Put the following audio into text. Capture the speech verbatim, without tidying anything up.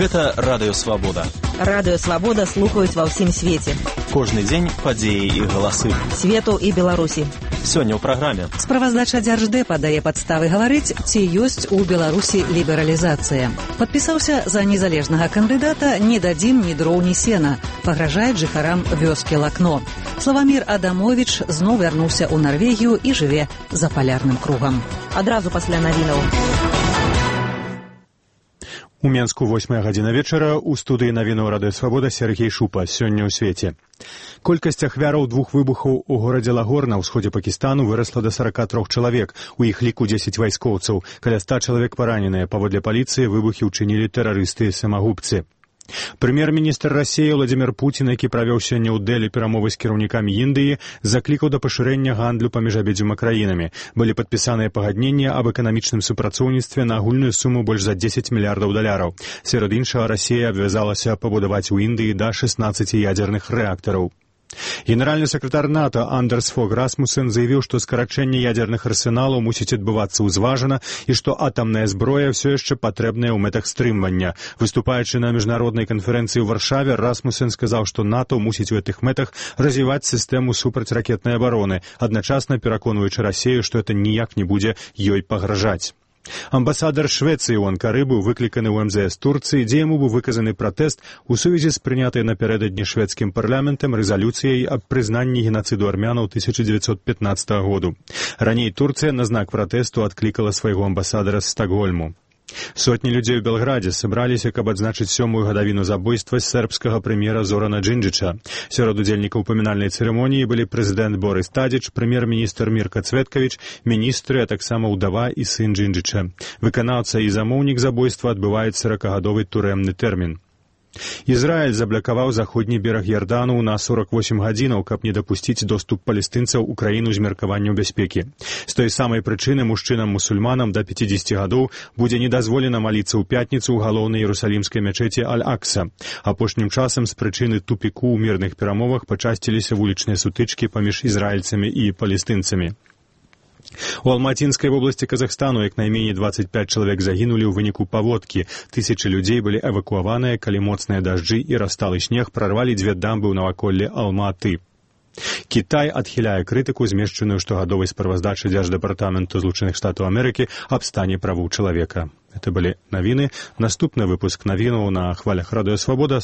Гэта Радыё Свабода. Радыё Свабода слухаюць ва ўсім свеце. Кожны дзень падзеі і галасы. Свету і Беларусі. Сёння ў праграме. Справаздача Дзярждэпа дае падставы гаварыць, ці ёсць у Беларусі лібералізацыя. Падпісаўся за незалежнага кандыдата «Не дадзім ні дроў, ні сена». Пагражаюць жыхарам вёскі Лакно. Славамір Адамовіч зноў вярнуўся ў Нарвегію і жыве за палярным кругам. Адразу пасля навінаў. У Менску восьмая гадзіна вечара, у студыі навінаў Радыё Свабода Сергей Шупа. Сёння ў свеце. Колькасць ахвяраў двух выбухаў у горадзе Лагор на ўсходзе Пакістану вырасла да сарака трох чалавек, у іх ліку дзесяць вайскоўцаў. Каля ста чалавек параненыя. Паводле паліцыі выбухі ўчынілі тэрарысты і самагубцы. Прэм'ер-міністр Расіі Владзімір Пуцін, які правёў сёння ў Дэлі перамовы з кіраўнікамі Індыі, заклікаў да пашырэння гандлю паміж абедзвюма краінамі. Былі падпісаныя пагадненні аб эканамічным супрацоўніцтве на агульную суму больш за дзесяць мільярдаў даляраў. Сярод іншага, Расія абвязалася пабудаваць у Індыі да шэснаццаці ядзерных рэактараў. Генеральны сакратар НАТО Андерс Фог Расмуссен заявіў, што скарачэнне ядзерных арсеналаў мусіць адбывацца ўзважана і што атамная зброя ўсё яшчэ патрэбная ў мэтах стрымвання. Выступаючы на міжнароднай канферэнцыі ў Варшаве, Расмуссен сказаў, што НАТО мусіць у гэтых мэтах развіваць сістэму супрацьракетнай абароны, адначасна пераконваючы Расію, што это ніяк не будзе ёй пагражаць. Амбасадар Швецыі ў Анкары быў выкліканы ў эм зэ эс Турцыі, дзе яму быў выказаны пратэст у сувязі з прынятай напярэдадні шведскім парламентам рэзалюцыяй аб прызнанні генацыду армянаў тысяча дзевяцьсот пятнаццатага году. Раней Турцыя на знак пратэсту адклікала свайго амбасадара з Стакгольму. Сотні людзей у Белградзе сабраліся, каб адзначыць сёмую гадавіну забойства сербскага прэм'ера Зорана Джинджича. Сярод удзельнікаў памінальнай цырымоніі былі прэзідэнт Борис Тадзіч, прэм'ер-міністр Мірка Цветкавіч, міністры, а таксама ўдава і сын Джинджича. Выканаўца і замоўнік забойства адбываюць саракагадовы турэмны тэрмін. Ізраіль заблакаваў заходні бераг Ярдану на сорак восем гадзінаў, каб не дапусціць доступ палестынцаў у краіну з меркаванняў бяспекі. З той самай прычыны мужчынам-мусульманам да пяцідзесяці гадоў будзе недазволена маліцца ў пятніцу ў галоўнай іерусалімскай мячэці Аль-Акса. Апошнім часам з прычыны тупіку ў мірных перамовах пачасціліся вулічныя сутычкі паміж ізраільцамі і палестынцамі. У Алматинскай вобласці Казахстану як найменей дваццаць пяць чалавек загінулі ў выніку паводкі. Тысячы людзей былі эвакуаваныя, калі моцныя дажджы і расталы снег прарвалі дзве дамбы ў наваколлі Алма-Аты. Кітай адхіляе крытыку, змешчаную штогадовай справаздачы Дзярждэпартаменту Злучаных Штатаў Амерыкі аб стане правоў чалавека. Это былі навіны. Наступны выпуск навінаў на хвалях Радыё Свабода.